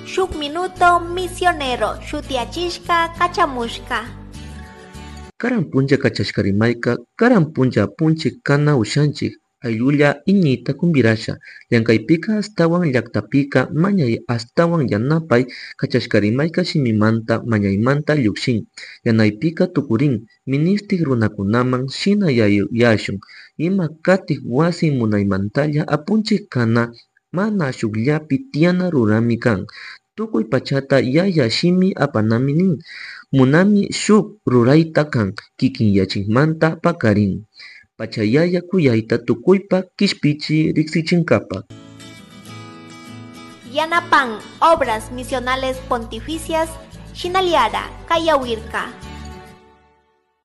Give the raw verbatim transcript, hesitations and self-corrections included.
Shuk Minuto Misionero shutiyachishka kachamushka. Karan punlla kachashka rimayka karan punlla apunchik kana ushanchik ayllulla iñiyta kumpirasha llankaypika ashtawan llaktapika mañay ashtawan yanapay kachashka rimayka shimimanta mañaymanta llukshin yanaypika tukurin ministik runakunaman shina yuyashun ima katik wasi munaymantalla apunchik kana mana shukllapi tiyana rurami kan tukuy pachata yaya shimi apanami nin munami shuk rurayta kan kikinyachikmanta pakarin pachayaya kuyayta tukuypa kishpichi riksichinkapak. Yanapan Obras Misionales Pontificias Shinaliara Kayawirka.